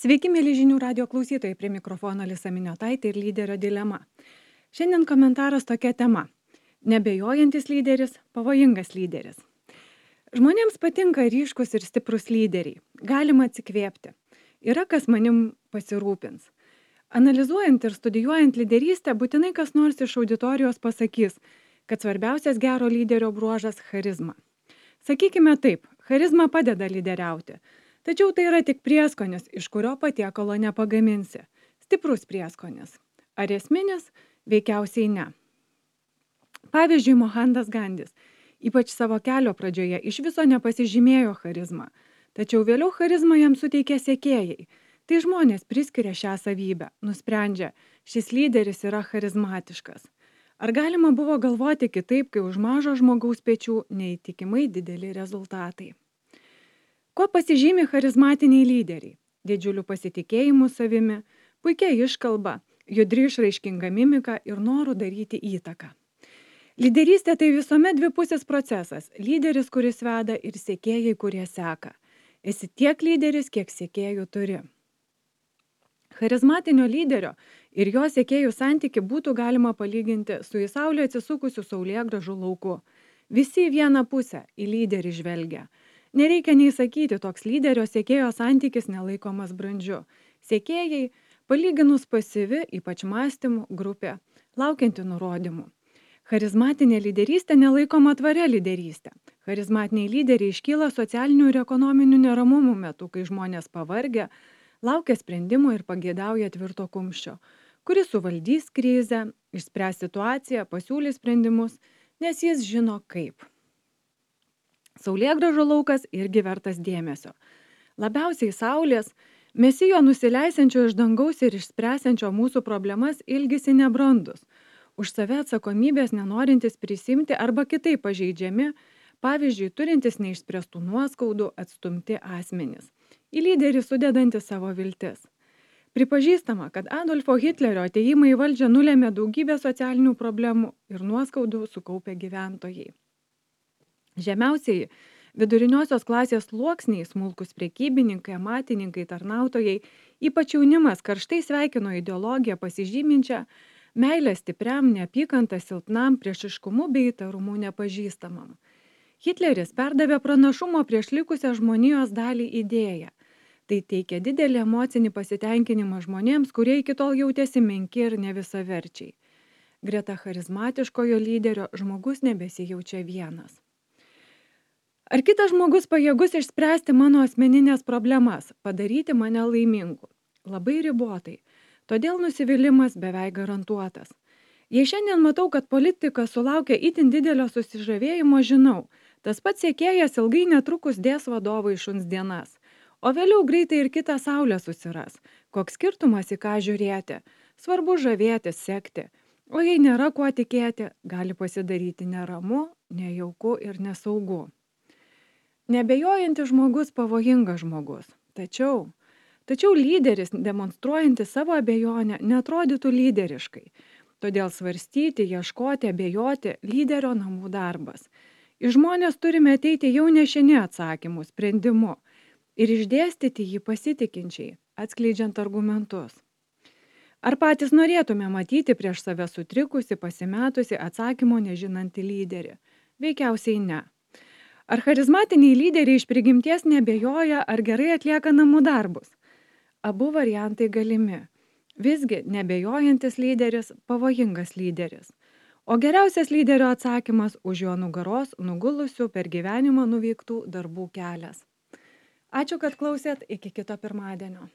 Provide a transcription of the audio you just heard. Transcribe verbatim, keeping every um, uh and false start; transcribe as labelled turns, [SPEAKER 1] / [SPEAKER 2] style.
[SPEAKER 1] Sveiki, mėly žinių radio klausytojai, prie mikrofono Alisa Miniotaitė ir lyderio dilema. Šiandien komentaras tokia tema. Nebejojantis lyderis, pavojingas lyderis. Žmonėms patinka ryškus ir stiprus lyderiai. Galima atsikvėpti. Yra kas manim pasirūpins. Analizuojant ir studijuojant lyderystę, būtinai kas nors iš auditorijos pasakys, kad svarbiausias gero lyderio bruožas – charizma. Sakykime taip, charizma padeda lyderiauti. Tačiau tai yra tik prieskonis, iš kurio patiekalo nepagaminsi. Stiprus prieskonis. Ar esminis? Veikiausiai ne. Pavyzdžiui, Mohandas Gandis, ypač savo kelio pradžioje, iš viso nepasižymėjo charizmą. Tačiau vėliau charizmą jam suteikė sekėjai. Tai žmonės priskiria šią savybę, nusprendžia, šis lyderis yra charizmatiškas. Ar galima buvo galvoti kitaip, kai už mažo žmogaus pečių neįtikimai dideli rezultatai? Kuo pasižymi charizmatiniai lyderiai? Didžiuliu pasitikėjimu savimi, puikia iškalba, judri išraiškinga mimika ir noru daryti įtaką. Lyderystė tai visuomet dvipusis procesas. Lyderis, kuris veda, ir sekėjai, kurie seka. Esi tiek lyderis, kiek sekėjų turi. Charizmatinio lyderio ir jo sekėjų santyki būtų galima palyginti su į saulę atsisukusiu saulėgrąžų lauku. Visi į vieną pusę, į lyderį žvelgia. Nereikia nei sakyti, toks lyderio sekėjo santykis nelaikomas brandžiu. Sekėjai, palyginus pasyvi, ypač mąstymų grupė, laukianti nurodymų. Charizmatinė lyderystė nelaikoma tvaria lyderystė. Charizmatiniai lyderiai iškyla socialinių ir ekonominių neramumų metu, kai žmonės pavargę, laukia sprendimų ir pageidauja tvirto kumščio, kuris suvaldys krizę, išspręs situaciją, pasiūlys sprendimus, nes jis žino kaip. Saulėgrąžų laukas irgi vertas dėmesio. Labiausiai saulės, mesijo nusileisiančio iš dangaus ir išspręsiančio mūsų problemas ilgisi nebrandus, už save atsakomybės nenorintis prisimti arba kitaip pažeidžiami, pavyzdžiui, turintis neišspręstų nuoskaudų, atstumti asmenys. Į lyderį sudedanti savo viltis. Pripažįstama, kad Adolfo Hitlerio atėjimą į valdžią nulėmė daugybę socialinių problemų ir nuoskaudų sukaupę gyventojai. Žemiausiai viduriniosios klasės sluoksniai, smulkus prekybininkai, amatininkai, tarnautojai, ypač jaunimas karštai sveikino ideologiją pasižyminčią meilę stipriam, neapykantą silpnam, priešiškumu bei įtarumu nepažįstamam. Hitleris perdavė pranašumo prieš likusią žmonijos dalį idėją. Tai teikia didelį emocinį pasitenkinimą žmonėms, kurie iki tol jautėsi menki ir nevisaverčiai. Greta charizmatiškojo lyderio žmogus nebesijaučia vienas. Ar kitas žmogus pajėgus išspręsti mano asmeninės problemas, padaryti mane laimingu? Labai ribotai. Todėl nusivylimas beveik garantuotas. Jei šiandien matau, kad politika sulaukia itin didelio susižavėjimo, žinau, tas pats sekėjas ilgai netrukus dės vadovui šuns dienas, o vėliau greitai ir kitą saulę susiras. Koks skirtumas į ką žiūrėti? Svarbu žavėtis, sekti. O jei nėra kuo tikėti, gali pasidaryti neramu, nejauku ir nesaugu. Nebejojantis žmogus pavojingas žmogus. Tačiau, tačiau lyderis, demonstruojantis savo abejonę, neatrodytų lyderiškai. Todėl svarstyti, ieškoti, abejoti lyderio namų darbas. Į žmonės turime ateiti jau nešini atsakymų, sprendimu ir išdėstyti jį pasitikinčiai, atskleidžiant argumentus. Ar patys norėtume matyti prieš save sutrikusi, pasimetusi, atsakymo nežinantį lyderį? Veikiausiai ne. Ar charizmatiniai lyderiai iš prigimties nebejoja ar gerai atlieka namų darbus? Abu variantai galimi. Visgi nebejojantis lyderis – pavojingas lyderis. O geriausias lyderio atsakymas už jo nugaros nugulusių per gyvenimą nuveiktų darbų kelias. Ačiū, kad klausėt, iki kito pirmadienio.